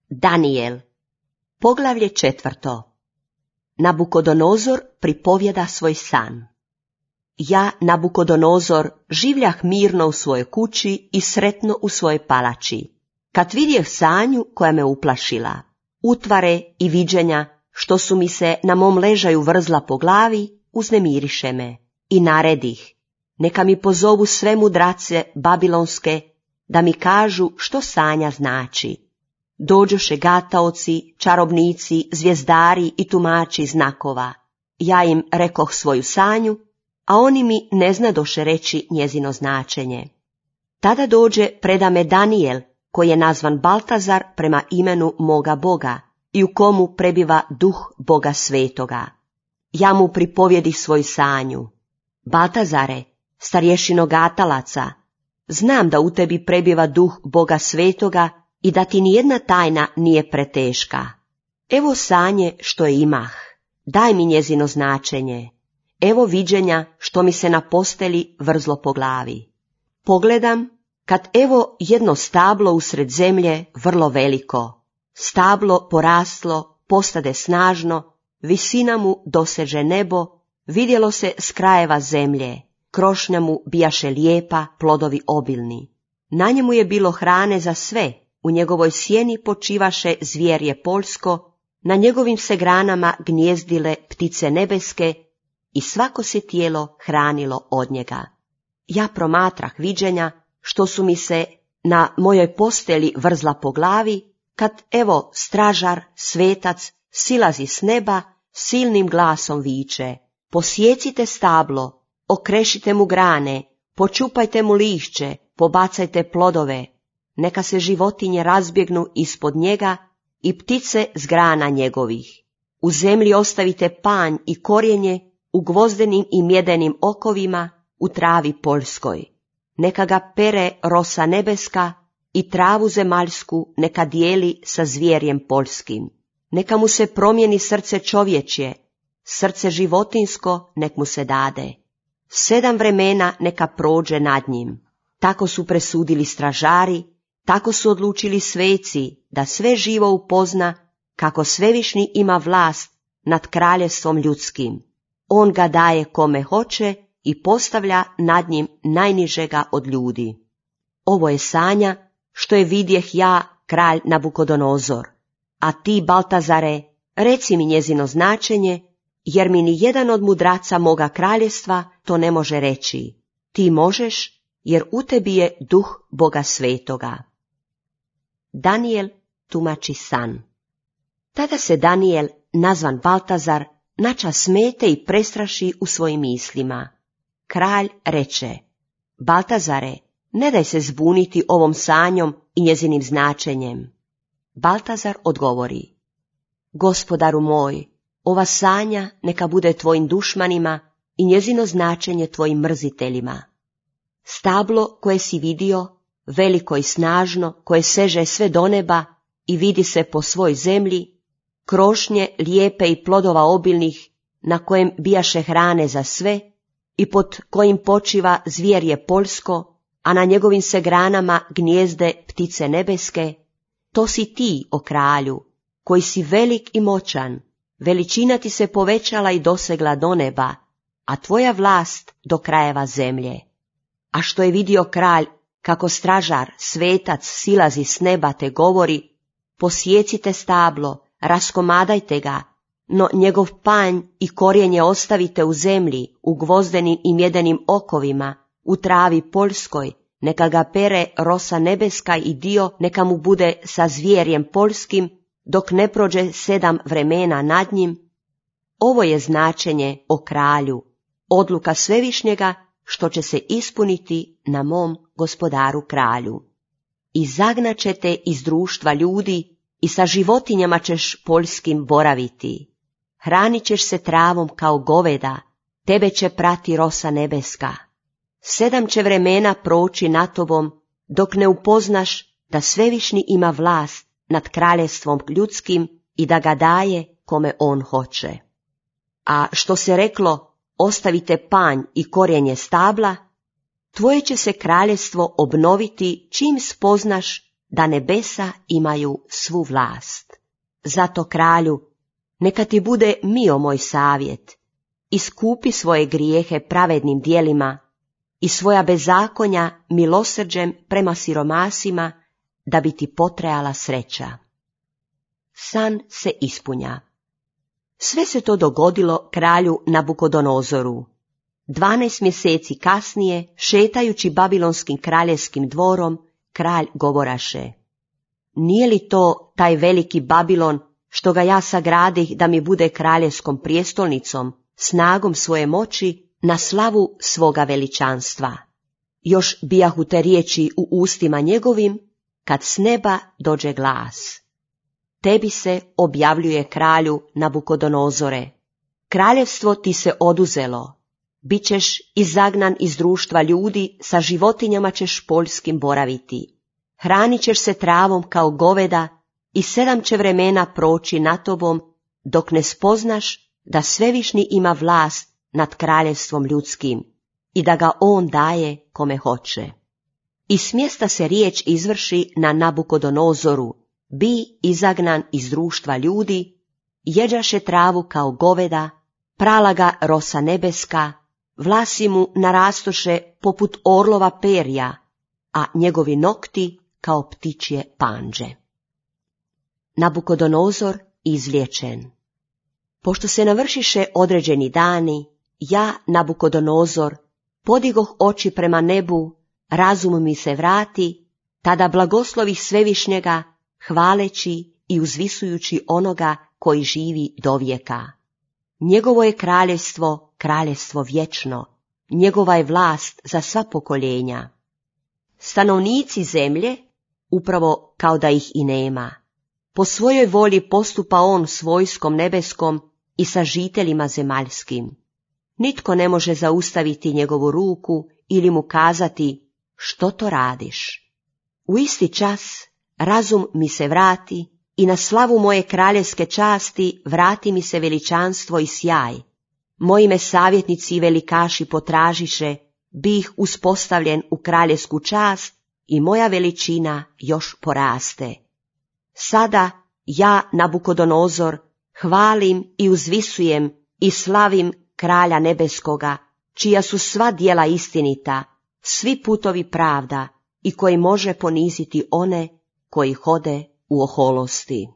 Danijel, poglavlje 4. Nabukodonozor pripovjeda svoj san. Ja, Nabukodonozor, življah mirno u svojoj kući i sretno u svojoj palači, kad vidjeh sanju koja me uplašila, utvare i viđenja što su mi se na mom ležaju vrzla po glavi, uznemiriše me i naredih, neka mi pozovu sve mudrace babilonske, da mi kažu što sanja znači. Dođoše gataoci, čarobnici, zvijezdari i tumači znakova. Ja im rekoh svoju sanju, a oni mi ne znadoše reći njezino značenje. Tada dođe preda me Danijel, koji je nazvan Baltazar prema imenu moga Boga i u komu prebiva duh Boga svetoga. Ja mu pripovjedih svoju sanju. Baltazare, starješino gatalaca, znam da u tebi prebiva duh Boga svetoga i da ti nijedna tajna nije preteška. Evo sanje što je imah, daj mi njezino značenje. Evo viđenja što mi se na posteli vrzlo po glavi. Pogledam, kad evo jedno stablo usred zemlje vrlo veliko. Stablo poraslo, postade snažno, visina mu doseže nebo, vidjelo se s krajeva zemlje, krošnja mu bijaše lijepa, plodovi obilni. Na njemu je bilo hrane za sve, u njegovoj sjeni počivaše zvjerje poljsko, na njegovim se granama gnjezdile ptice nebeske i svako se tijelo hranilo od njega. Ja promatrah viđenja što su mi se na mojoj posteli vrzla po glavi, kad evo stražar, svetac, silazi s neba, silnim glasom viče, posjecite stablo, okrešite mu grane, počupajte mu lišće, pobacajte plodove, neka se životinje razbjegnu ispod njega i ptice s grana njegovih. U zemlji ostavite panj i korijenje, u gvozdenim i mjedenim okovima, u travi poljskoj. Neka ga pere rosa nebeska i travu zemaljsku neka dijeli sa zvjerjem poljskim. Neka mu se promijeni srce čovječje, srce životinsko nek mu se dade. 7 vremena neka prođe nad njim. Tako su presudili stražari, tako su odlučili sveci, da sve živo upozna kako svevišnji ima vlast nad kraljevstvom ljudskim. On ga daje kome hoće i postavlja nad njim najnižega od ljudi. Ovo je sanja što je vidjeh ja, kralj Nabukodonozor. A ti, Baltazare, reci mi njezino značenje, jer mi ni jedan od mudraca moga kraljevstva to ne može reći. Ti možeš, jer u tebi je duh Boga svetoga. Danijel tumači san. Tada se Danijel, nazvan Baltazar, nača smete i prestraši u svojim mislima. Kralj reče, Baltazare, ne daj se zbuniti ovom sanjom i njezinim značenjem. Baltazar odgovori, Gospodaru moj, ova sanja neka bude tvojim dušmanima i njezino značenje tvojim mrziteljima. Stablo koje si vidio, veliko i snažno, koje seže sve do neba i vidi se po svoj zemlji, krošnje lijepe i plodova obilnih, na kojem bijaše hrane za sve i pod kojim počiva zvjerje poljsko, a na njegovim se granama gnjezde ptice nebeske, to si ti, o kralju, koji si velik i moćan, veličina ti se povećala i dosegla do neba, a tvoja vlast do krajeva zemlje. A što je vidio kralj, kako stražar, svetac, silazi s neba te govori, posjecite stablo, raskomadajte ga, no njegov panj i korijenje ostavite u zemlji, u gvozdenim i mjedenim okovima, u travi poljskoj, neka ga pere rosa nebeska i dio neka mu bude sa zvjerjem poljskim, dok ne prođe 7 vremena nad njim. Ovo je značenje, o kralju, odluka svevišnjega, što će se ispuniti na mom gospodaru kralju. I zagnaćete iz društva ljudi i sa životinjama ćeš poljskim boraviti. Hranit ćeš se travom kao goveda, tebe će prati rosa nebeska. 7 će vremena proći nad tobom, dok ne upoznaš da svevišnji ima vlast nad kraljevstvom ljudskim i da ga daje kome on hoće. A što se reklo, ostavite panj i korijenje stabla, tvoje će se kraljevstvo obnoviti čim spoznaš da nebesa imaju svu vlast. Zato, kralju, neka ti bude mio moj savjet, iskupi svoje grijehe pravednim djelima i svoja bezakonja milosrđem prema siromasima, da bi ti potrajala sreća. San se ispunja. Sve se to dogodilo kralju Nabukodonozoru. 12 mjeseci kasnije, šetajući babilonskim kraljevskim dvorom, kralj govoraše: nije li to taj veliki Babilon, što ga ja sagradih da mi bude kraljevskom prijestolnicom, snagom svoje moći, na slavu svoga veličanstva? Još bijahu te riječi u ustima njegovim, kad s neba dođe glas: tebi se objavljuje, kralju Nabukodonozore, kraljevstvo ti se oduzelo, bit ćeš izagnan iz društva ljudi, sa životinjama ćeš poljskim boraviti, hranit ćeš se travom kao goveda i 7 će vremena proći nad tobom, dok ne spoznaš da Svevišnji ima vlast nad kraljevstvom ljudskim i da ga on daje kome hoće. I s mjesta se riječ izvrši na Nabukodonozoru: bi izagnan iz društva ljudi, jeđaše travu kao goveda, prala ga rosa nebeska, vlasi mu narastoše poput orlova perja, a njegovi nokti kao ptičje pandže. Nabukodonozor izliječen. Pošto se navršiše određeni dani, ja, Nabukodonozor, podigoh oči prema nebu, razum mi se vrati, tada blagoslovih Svevišnjega, hvaleći i uzvisujući onoga koji živi dovijeka. Njegovo je kraljevstvo, kraljevstvo vječno, njegova je vlast za sva pokoljenja. Stanovnici zemlje, upravo kao da ih i nema, po svojoj volji postupa on s vojskom nebeskom i sa žiteljima zemaljskim. Nitko ne može zaustaviti njegovu ruku ili mu kazati: što to radiš? U isti čas razum mi se vrati i na slavu moje kraljevske časti vrati mi se veličanstvo i sjaj. Moji me savjetnici i velikaši potražiše, bih uspostavljen u kraljevsku čast i moja veličina još poraste. Sada ja, Nabukodonozor, hvalim i uzvisujem i slavim kralja nebeskoga, čija su sva djela istinita, svi putovi pravda i koji može poniziti one koji hode u oholosti.